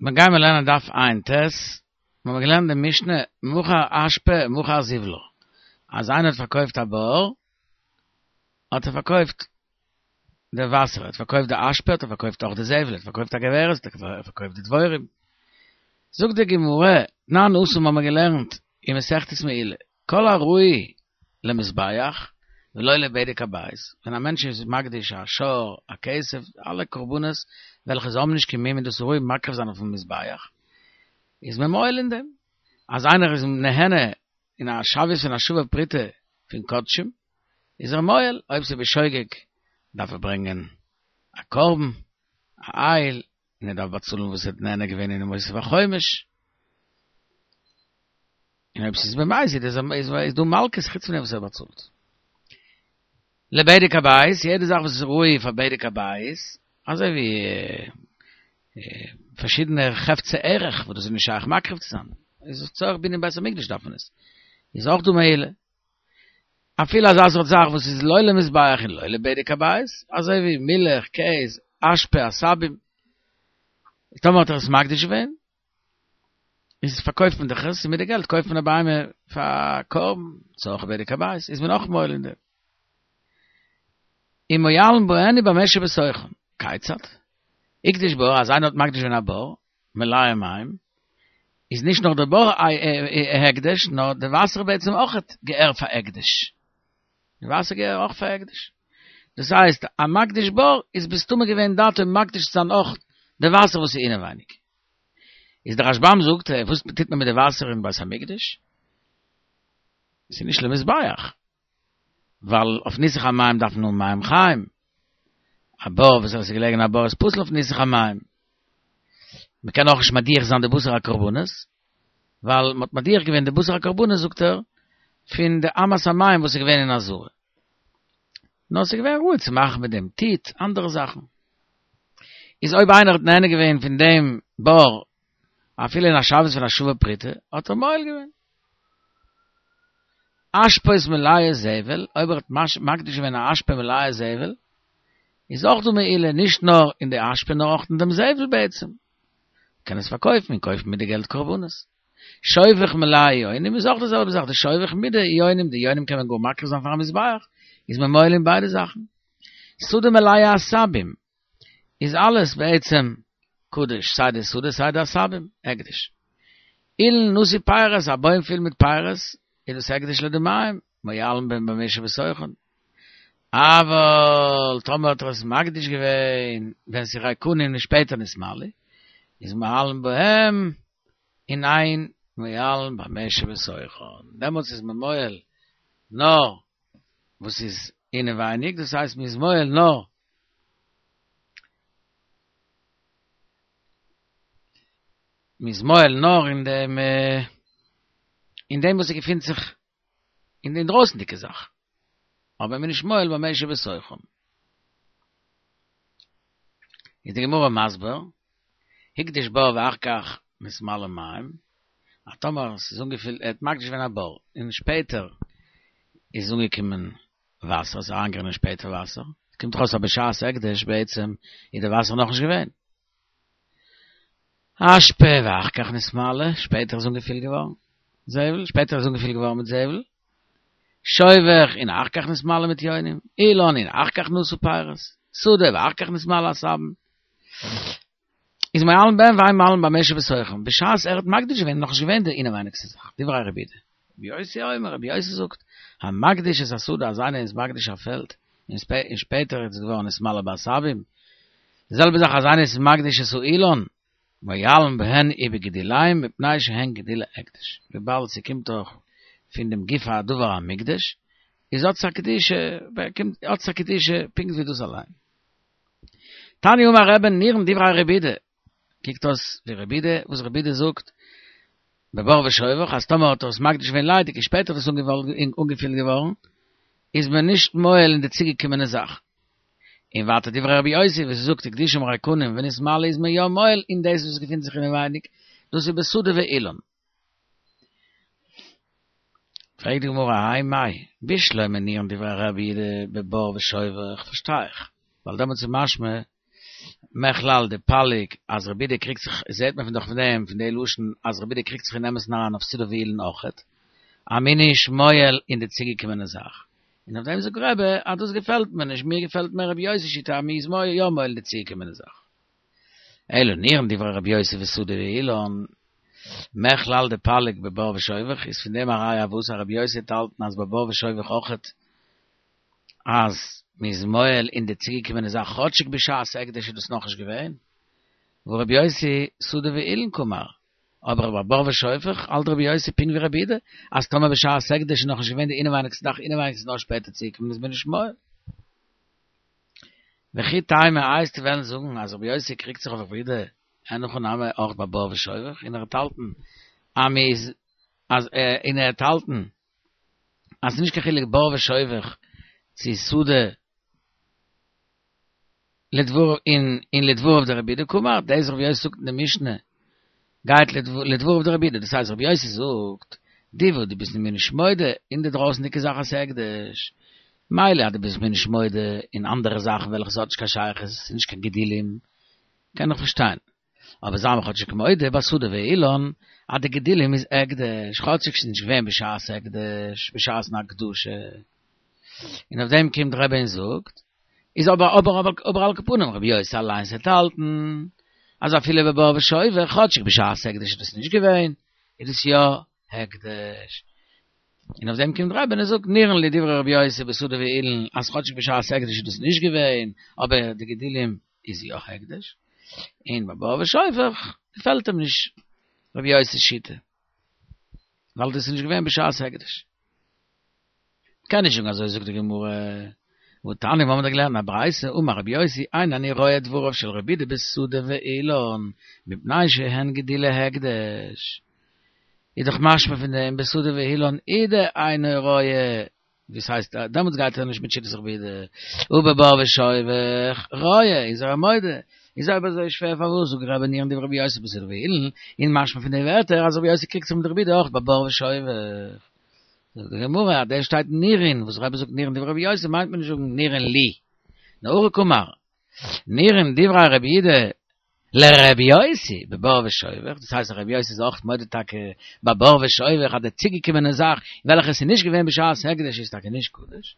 מיר גיימער לערנען דף ע"ט, מיר האבן געלערנט די משנה מכר אשפה מכר זבלה, אז איינער האט פארקויפט א בור, האט ער פארקויפט די וואסער, ער האט פארקויפט די אשפה האט ער פארקויפט אויך די זבל, ער האט פארקויפט א כוורת האט ער פארקויפט די דבורים. זאגט די גמרא, תנן התם האבן מיר געלערנט אין מסכת מעילה, כל הראוי למזבח ולא לבדק הבית, ווען א מענטש איז מקדיש א שור, א כשב, אלע קרבנות וועלכע זיי האבן נישט קיין מום און דאס איז ראוי מקריב זיין אויפן מזבח, איז מען מועל אין דעם. אז איינער איז נהנה אין א שוויות פון א שווה פרוטה פון קדשים, איז ער מועל, אויב ס'איז בשוגג דארף ער ברענגען א קרבן, א איל, און ער דארף באצאלן וואס ער האט נהנה געווען אינעם מוסיף החומש. און אויב ס'איז במזיד איז איז דא מלקות חוץ פון דעם וואס ער באצאלט. לבדק הבית, יעדע זאך וואס איז ראוי פאר בדק הבית, אזוי ווי פארשידענע חפצי ערך וואס דאס איז נישט שייך מקריב צו זיין, איז לצורך בנין בית המקדש דארף מען עס, איז אויך דא מעילה. אפילו אזא סארט זאך וואס איז לא למזבח און לא לבדק הבית, אזוי ווי מילך, קעז, אשפה, עשבים, טאמער האט ער עס מקדיש געווען, איז פארקויפט מען דאך עס, און מיט די געלט קויפט מען א בהמה פאר א קרבן, צורך בדק הבית, איז מען אויך מועל אין דעם. און מועלין בהן ובמה שבתוכן. כיצד? הקדיש בור, אז איינער האט מקדיש געווען א בור, מלא מים, איז נישט נאר דער בור א הקדש, נאר די וואסער בעצם אויך געהער פאר הקדש. די וואסער געהער אויך פאר הקדש. דאס הייסט, א מקדיש בור איז מסתמא געווען דעתו מקדיש צו זיין אויך די וואסער וואס איז אינעווייניג. איז דער רשב"ם זאגט, וואס טוט מען מיט די וואסער אין בית המקדש? ס'איז נישט למזבח. ווייל אויף ניסוך המים דארף מען האבן מים חיים. א בור וואס איז געלעגן א בור איז פסול אויף ניסוך המים. מען קען אויך נישט מדיח זיין די בשר הקרבנות, ווייל מען האט מדיח געווען די בשר הקרבנות זאגט ער, פון די אמת המים וואס איז געווען אין עזרה. נאר ס'איז געווען ראוי צו מאכן מיט דעם טיט, אנדערע זאכן. איז אויב איינער האט נהנה געווען פון דעם בור אפילו אין א שוויות פון א שווה פרוטה, האט ער מועל געווען. אשפות מלאות זבל, אויב ער האט מקדיש געווען א אשפה מלאה זבל, איז אויך דא מעילה נישט נאר אין די אשפה נאר אויך אין דעם זבל בעצם. מ'קען עס פארקויפן און קויפן מיט די געלט קרבנות. שובך מלא יונים איז אויך די זעלבע זאך, די שובך מיט די יונים, די יונים קען מען גאר מקריב זיין פארן מזבח, איז מען מועל אין ביידע זאכן. שדה מלאה עשבים, איז אלעס בעצם קדוש, סיי די שדה סיי די עשבים, הקדש. אילן נשוי פירות, א בוים פיל מיט פירות, איז דאס הקדש לדמיים, מועלין בהן ובמה שבתוכן. אבל טאמער האט ער עס מקדיש געווען ווען ס'איז ריקנין און שפעטער נתמלאו, איז מועלין בהם און אין מועלין במה שבתוכן. דעמאלטס איז מען מועל נאר וואס איז אינעווייניג, דאס הייסט מ'איז מועל נאר מ'איז מועל נאר אין דעם אין דעם וואס ס'געפינט זיך אין די אינדרויסנדיגע זאך, אבער מ'איז נישט מועל במה שבתוכן. איז די גמרא מסביר, הקדיש בור ואחר כך נתמלא מים, אז טאמער ס'איז אנגעפילט, ער האט מקדיש געווען א בור, און שפעטער איז אנגעקומען וואסער, ס'איז אריינגערינען שפעטער וואסער, קומט דאך אויס אז בשעת הקדש בעצם איז די וואסער נאכנישט געווען. אשפה ואחר כך נתמלא, שפעטער איז אנגעפילט געווארן זבל, שפעטער איז אנגעפילט געווארן מיט זבל, שובך און אחר כך נתמלא מיט יונים, אילן און אחר כך נשא פירות, שדה ואחר כך נתמלא עשבים. איז מועלין בהן ואין מועלין במה שבתוכן, בשעת ער האט מקדיש געווען איז נאכנישט געווען די אינעווייניגסטע זאך, דברי רבי יהודה. רבי יוסי אומר, רבי יוסי זאגט, המקדיש את השדה אז איינער איז מקדיש א פעלד, און שפעטער איז עס געווארן נתמלא בעשבים, די זעלבע זאך אז איינער איז מקדיש את האילן, מועלין בהן ובגידוליהן מפני שהן גידולי הקדש, וויבאלד ס'קומט דאך פון דעם גוף הדבר המוקדש, איז האט עס א קדושה, באקומט האט עס א קדושה פונקט ווי דאס אליין. תניא אמר רבי נראין דברי רבי יהודה, קוקט אויס ווי רבי יהודה, וואס רבי יהודה זאגט בבור ושובך אז טאמער האט ער עס מקדיש געווען ליידיג און שפעטער איז עס אנגעפילט געווארן, איז מען נישט מועל אין די צוגעקומענע זאך. און ווייטער דברי רבי יוסי וואס ער זאגט הקדישם ריקנים ונתמלאו איז מען יא מועל אין דאס וואס געפינט זיך אינעווייניג, דאס איז בשדה ואילן. פרעגט די גמרא האי מאי, בשלמא נראין דברי רבי יהודה בבור ושובך, פארשטיי איך, ווייל דעמאלטס איז משמע. מכלל דפליג אז רבי יהודה קריגט זיך, זעהט מען פון דאך פון דעם פון די לשון אז רבי יהודה קריגט זיך אין אמת'ן אריין אויף סודר ואילן אויכעט, אז מ'איז נישט מועל אין די צוגעקומענע זאך. און אויף דעם זאגט רבי אז דאס געפעלט מיר נישט, מיר געפעלט מער רבי יוסי'ס שיטה אז מ'איז יא מועל אין די צוגעקומענע זאך. אלא נירין דברי רבי יוסי בשדה ואילן, מכלל דפליג בבור ושובך, איז פון דעם א ראיה וואס אז רבי יוסי האט געהאלטן אז בבור ושובך אויכעט אז מ'איז מועל אין די צוגעקומענע זאך כאטשיג בשעת הקדש איז דאס נאכנישט געווען, והא רבי יוסי שדה ואילן קאמר, אבער ביי בור ושופך האלט רבי יוסי פונקט ווי רבי יהודה אז טאמער בשעת הקדש איז נאכנישט געווען די אינעווייניגסטע זאך אינעווייניג איז נאר שפעטער צוגעקומען איז מען נישט מועל. וכי תימא איי וועסטו וועלן זאגן אז רבי יוסי קריגט זיך אויף רבי יהודה אין הכי נמי אויך ביי בור ושובך און ער האט האלטן אז מ'איז אז און ער האט האלטן אז ס'איז נישט קיין חילוק בור ושובך צו שדה לדבר אין אין לדבריו דרבי יהודה קאמר דאס רבי יוסי זאגט אין די משנה גייט לדבריו דרבי יהודה דאס הייסט רבי יוסי זאגט די וואס דו ביסט מיר נישט מודה אין די דרויסנדיגע זאך אז ס'הקדש מילא אז דו ביסט מיר נישט מודה אין אנדערע זאכן וועלכע ס'האט נישט קיין שייכות ס'איז נישט קיין גידולים קען איך פארשטיין אבער זיי מיר כאטשיג מודה בשדה ואילן אז די גידולים איז הקדש, כאטשיג ס'איז נישט געווען בשעת הקדש, בשעת'ן הקדשה. און אויף דעם קומט רבי און זאגט, איז אבער אבער אבער אבער על כל פנים רבי יוסי אליינס וועט האלטן אז אפילו בבור ושובך כאטשיג בשעת הקדש איז דאס נישט געווען, איז דאס יא הקדש. און אויף דעם קומט רבי און זאגט נראין לי דברי רבי יוסי בשדה ואילן אז כאטשיג בשעת הקדש איז דאס נישט געווען, אבער די גידולים איז יא הקדש, און ביי בור ושופך געפעלט אים נישט רבי יוסי'ס שיטה, ווייל דאס איז נישט געווען בשעת הקדש. קען נישט זאגן אזוי זאגט די גמרא, והתניא מיר האבן דאך געלערנט א ברייתא, אמר רבי יוסי, אין אני רואה דבריו של רבי יהודה בשדה ואילן, מפני שהן גידולי הקדש. איז דאך משמע פון דעם בשדה ואילן הוא דאינו רואה וואס הייסט דעמאלטס גייט ער נישט מיט שיטת רבי יהודה ובבור ושובך רואה איז ער מודה איז אויב אזוי שווער פארוואס זאגט רבי נירין דברי רבי יוסי בשדה ואילן און משמע פון די ווערטער אז רבי יוסי קריגט זיך מיט רבי יהודה אויך בבור ושובך זאגט די גמרא אז דער שטייט נירין וואס רבי זאגט נירין דברי רבי יוסי מיינט מען נישט זאגן נירין לי נאר הכי קאמר נירין דברי רבי יהודה לרבי יוסי בבור ושובך, דאס הייסט אז רבי יוסי איז אויך מודה טאקע בבור ושובך אז די צוגעקומענע זאך וועלכע עס איז נישט געווען בשעת הקדש איז טאקע נישט קדוש,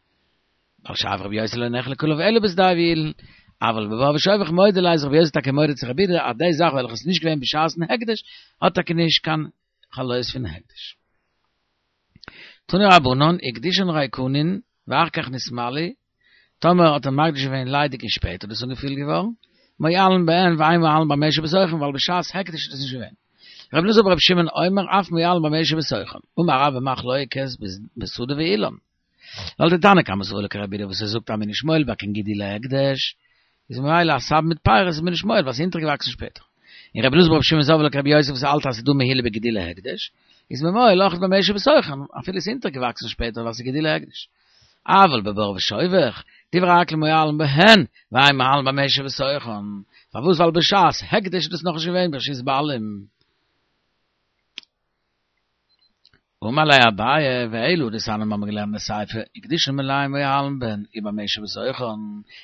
ווייל שאף רבי יוסי לא נחלק עליו אלא בשדה ואילן, אבל בבור ושובך מודה ליה איז רבי יוסי טאקע מודה צו רבי יהודה אז די זאך וועלכע איז נישט געווען בשעת'ן הקדש האט טאקע נישט קיין חלות פון הקדש. תנו רבנן, הקדישן ריקנין ואחר כך נתמלאו, טאמער האט ער מקדיש געווען ליידיג און שפעטער איז דאס אנגעפילט געווארן, מועלין בהן ואין מועלין במה שבתוכן ווייל בשעת הקדש איז דאס נישט געווען. רבי אלעזר ברבי שמעון אומר אף מועלין במה שבתוכן, אמר רבה מחלוקת בשדה ואילן. ווייל די תנא קמא סבר לה כרבי יהודה וואס ער זאגט אז מ'איז נישט מועל ביי קיין גידולי הקדש, איז ממילא א סב מיט פירות איז מען נישט מועל ווייל ס'איז אונטערגעוואקסן שפעטער. און רבי אלעזר ברבי שמעון סבר לה כרבי יוסי וואס האלט אז ס'איז דא מעילה בגידולי הקדש, איז מען מועל אויך במה שבתוכן אפילו ס'איז אונטערגעוואקסן שפעטער ווייל ס'איז גידולי הקדש. אבל בבור ושובך, דברי הכל מועלין בהן, ואין מועלין במה שבתוכן. פארוואס? ווייל בשעת הקדש איז דאס נאכנישט געווען ברשות בעלים. אמר ליה אביי, ואלא דתניא מיר האבן געלערנט אין סיפא, הקדישן מלאים מועלין בהן ובמה שבתוכן,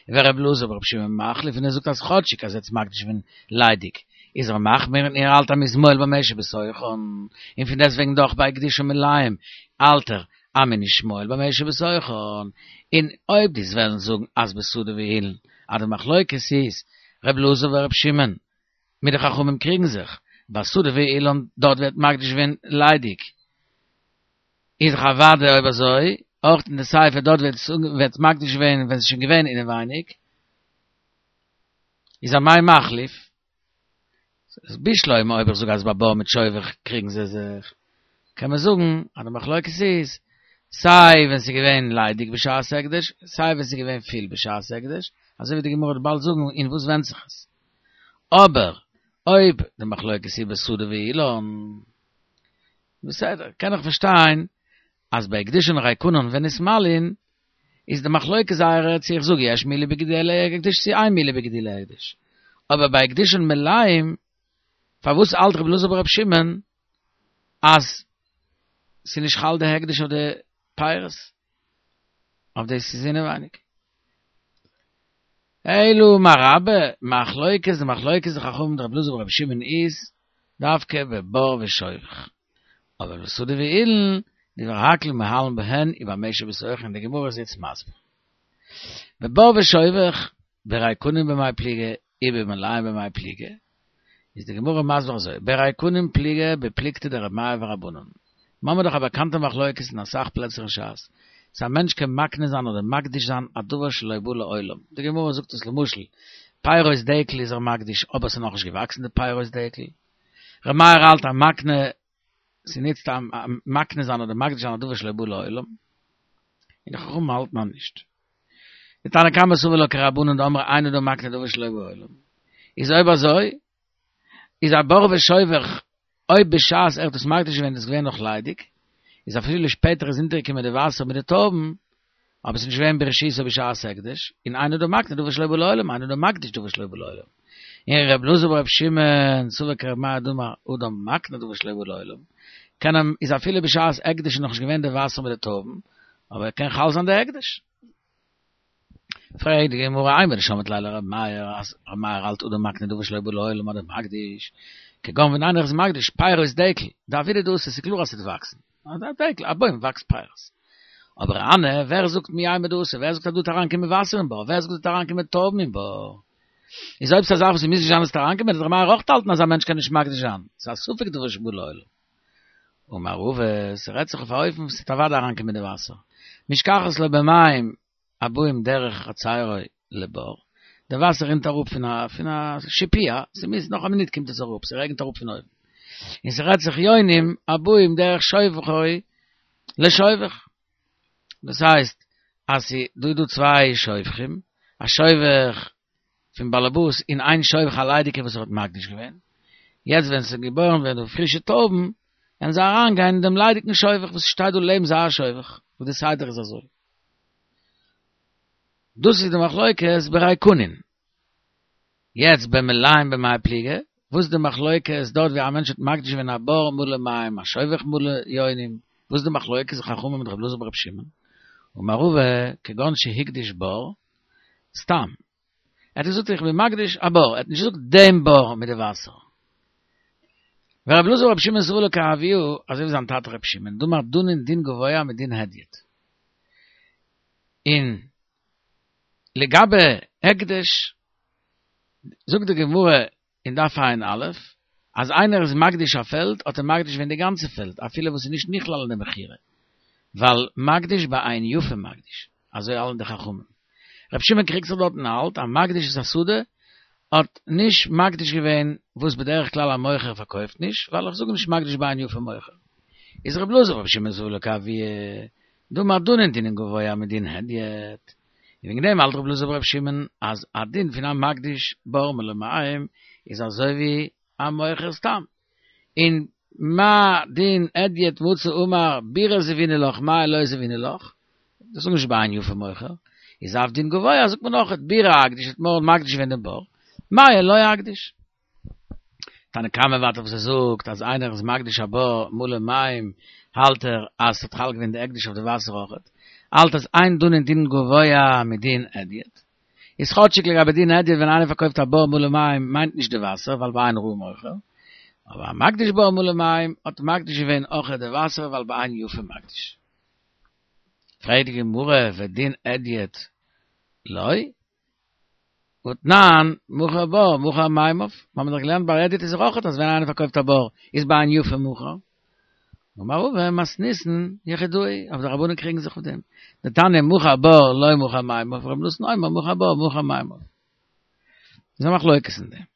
ור' אלעזר בר' שמעון מחליף און ער זאגט אז כאטשיג אז ער האט עס מקדיש געווען ליידיג, איז ער מחמיר און ער האלט אז מ'איז מועל במה שבתוכן, און פון דעסטוועגן דאך ביי הקדישן מלאים האלט ער אז מ'איז נישט מועל במה שבתוכן, און אויב דו וועסט וועלן זאגן אז בשדה ואילן אז די מחלוקת איז ר' אלעזר ור' שמעון מיט די חכמים קריגן זיך, בשדה ואילן דארט ווערט מקדיש געווען ליידיג, איז דאך אוודאי אויב אזוי, אויך אין די סיפא דארט ווערט מקדיש געווען ווען ס'איז שוין געווען אינעווייניג, איז אמאי מחליף? איז בשלמא אויב איך זאג אז ביי בור מיט שובך קריגן זיי זיך, קען מען זאגן אז די מחלוקת איז סיי ווען ס'איז געווען ליידיג בשעת הקדש, סיי ווען ס'איז געווען פיל בשעת הקדש, אזוי ווי די גמרא וועט באלד זאגן אין וואס ווענדט זיך עס. אבער אויב די מחלוקת איז בשדה ואילן, בסדר, קען איך פארשטיין אז ביי הקדישן ריקנין ונתמלאין איז די מחלוקת זייערע צו איך זאג יש מעילה בגידולי הקדש צו אין מעילה בגידולי הקדש, אבער ביי הקדישן מלאים פארוואס האלט רבי אלעזר ברבי שמעון אז ס'איז נישט חל די הקדש אויף די פירות? אויף דאס איז אינעווייניג. אלא אמר רבה, מחלוקת די מחלוקת די חכמים דרבי אלעזר ברבי שמעון איז דווקא בבור ושובך. אבער בשדה ואילן, דברי הכל מהלין בהן ובמה שבתוכן, די גמרא איז איצט מסביר. בבור ושובך, בריקנין במאי פליגי, ובמלאים במאי פליגי, איז די גמרא מסביר אזוי, בריקנין פליגי בפלוגתא דרבי מאיר ורבנן. מ'האמיר דאך א באקאנטע מחלוקת אין אסאך פלעצער אין ש"ס, צו א מענטש קען מקנה זיין אדער מקדיש זיין א דבר שלא בא לעולם. די גמרא זאגט עס למשל, פירות דקל איז ער מקדיש אבער ס'איז נאכנישט געוואקסן די פירות דקל. ר' מאיר האלט אז מקנה, ס'ניצט א מקנה זיין אדער מקדיש זיין א דבר שלא בא לעולם. און די חכמים האלטן אז נישט. די תנא קמא סבר לה כרבנן דאמרי אין אדם מקנה דבר שלא בא לעולם. איז אויב אזוי איז א בור ושובך אויב בשעת ער האט עס מקדיש געווען איז עס געווען נאך ליידיג, איז אפילו שפעטער איז אונטערגעקומען די וואסער מיט די טויבן, אבער עס איז נישט געווען ברשותו בשעת הקדש, און אין אדם מקנה דבר שלא בא לעולם, אין אדם מקדיש דבר שלא בא לעולם. און ר' אלעזר בר' שמעון סבר כר' מאיר דאמר אדם מקנה דבר שלא בא לעולם, קען אים איז אפילו בשעת הקדש איז נאכנישט געווען די וואסער מיט די טויבן, אבער קען חל זיין די הקדש. פרעגט די גמרא אימר דשמעת ליה לר' מאיר אז ר' מאיר האלט אדם מקנה דבר שלא בא לעולם אדם מקדיש, כגון ווען איינער איז מקדיש פירות דקל, דעבידא דאתי ס'איז קלאר אז ס'וועט וואקסן, א דקל, א בוים וואקסט פירות. אבער הני, ווער זאגט מי יימר דאתי, ווער זאגט אז דא וועט אריינקומען וואסער אין בור, ווער זאגט דא וועט אריינקומען טויבן אין בור? איז אויב ס'איז א זאך וואס ס'מוז נישט זיין אז ס'וועט אריינקומען, וועט ר' מאיר אויך האלטן אז א מענטש קען נישט מקדיש זיין, ס'איז א ספק דבר שבא לעולם. אמר רבא, ס'רעדט זיך אויף א אופן וואס ס'וועט אוודאי אריינקומען די וואסער. משכחת לה במים הבאים דרך חצרו לבור, די וואסער רינט אראפ פון א פון א שיפוע, ס'מוז, נאך א מינוט קומט עס אראפ, ס'רעגנט אראפ פון אויבן. און ס'רעדט זיך יונים הבאים דרך שובכו לשובך. דאס הייסט אז ס'דא דא צוויי שובכים, א שובך פון באלעבאס און איין שובך א ליידיגע וואס ער האט מקדיש געווען, יעצט ווען ס'איז געבוירן ווערן די פרישע טויבן, וועלן זיי אריין גיין אין דעם ליידיגן שובך וואס שטייט דא לעבן זייער שובך, וואס די סדר איז אזוי. דאס איז די מחלוקת בריקנין. יעצט במלאים במאי פליגי, וואס איז די מחלוקת דארט ווי א מענטש האט מקדיש געווען א בור מלא מים, א שובך מלא יונים, וואס איז די מחלוקת חכמים מיט רבי אלעזר ברבי שמעון? אמר רבא, כגון שהקדיש בור, סתם. ער האט געזאגט איך בין מקדיש א בור, ער האט נישט געזאגט דעם בור מיט די וואסער. ורבי אלעזר ברבי שמעון סבר לה כאבוה, אזוי ווי זיין טאטע רבי שמעון, דאמר דנין דין גבוה מדין הדיוט. און לגבי הקדש, זאגט די גמרא אין דף ע"א, אז איינער איז מקדיש א פעלד, האט ער מקדיש געווען די גאנצע פעלד, אפילו וואס איז נישט נכלל אין די מכירה, ווייל מקדיש בעין יפה מקדיש, אזוי האלטן די חכמים. רבי שמעון קריגט זיך דארט און האלט אז מקדיש את השדה האט נישט מקדיש געווען וואס בדרך כלל א מוכר פארקויפט נישט, ווייל איך זאג נישט מקדיש בעין יפה מוכר. איז רבי אלעזר ברבי שמעון סבר לה כאבוה דאמר דנין דין גבוה מדין הדיוט. און וועגן דעם האלט רבי אלעזר ברבי שמעון אז א דין פון א מקדיש בור מלא מים איז אזוי ווי א מוכר סתם. און מה דין הדיוט מצי אמר בירא זבינא לך מיא לא זבינא לך, דאס איז נישט בעין יפה מוכר, איז אף דין גבוה זאגט מען אויך בירא אקדיש האט מען מקדיש געווען דעם בור, מיא לא אקדיש. תנא קמא ווייטער וואס ער זאגט אז איינער איז מקדיש א בור מלא מים האלט ער אז ס'האט חל געווען די הקדש אויף די וואסער אויכעט, האלט אז אין דנין דין גבוה מדין הדיוט, איז כאטשיג לגבי דין הדיוט ווען איינער פארקויפט א בור מלא מים מיינט נישט די וואסער ווייל בעין רעה מוכר, אבער א מקדיש בור מלא מים האט מקדיש געווען אויכעט די וואסער ווייל בעין יפה מקדיש. פרעגט די גמרא ודין הדיוט לא? והתנן, מכר בור, מכר מימיו, מיר האבן דאך געלערנט ביי הדיוט איז אויך אז ווען איינער פארקויפט א בור איז בעין יפה מכר. אמר רבא מתניתין יחידאי, אבער די רבנן קריגן זיך אויף דעם. דתניא מכר בור לא מכר מימיו, רבי נתן אומר מכר בור מכר מימיו. איז א מחלוקת אין דעם.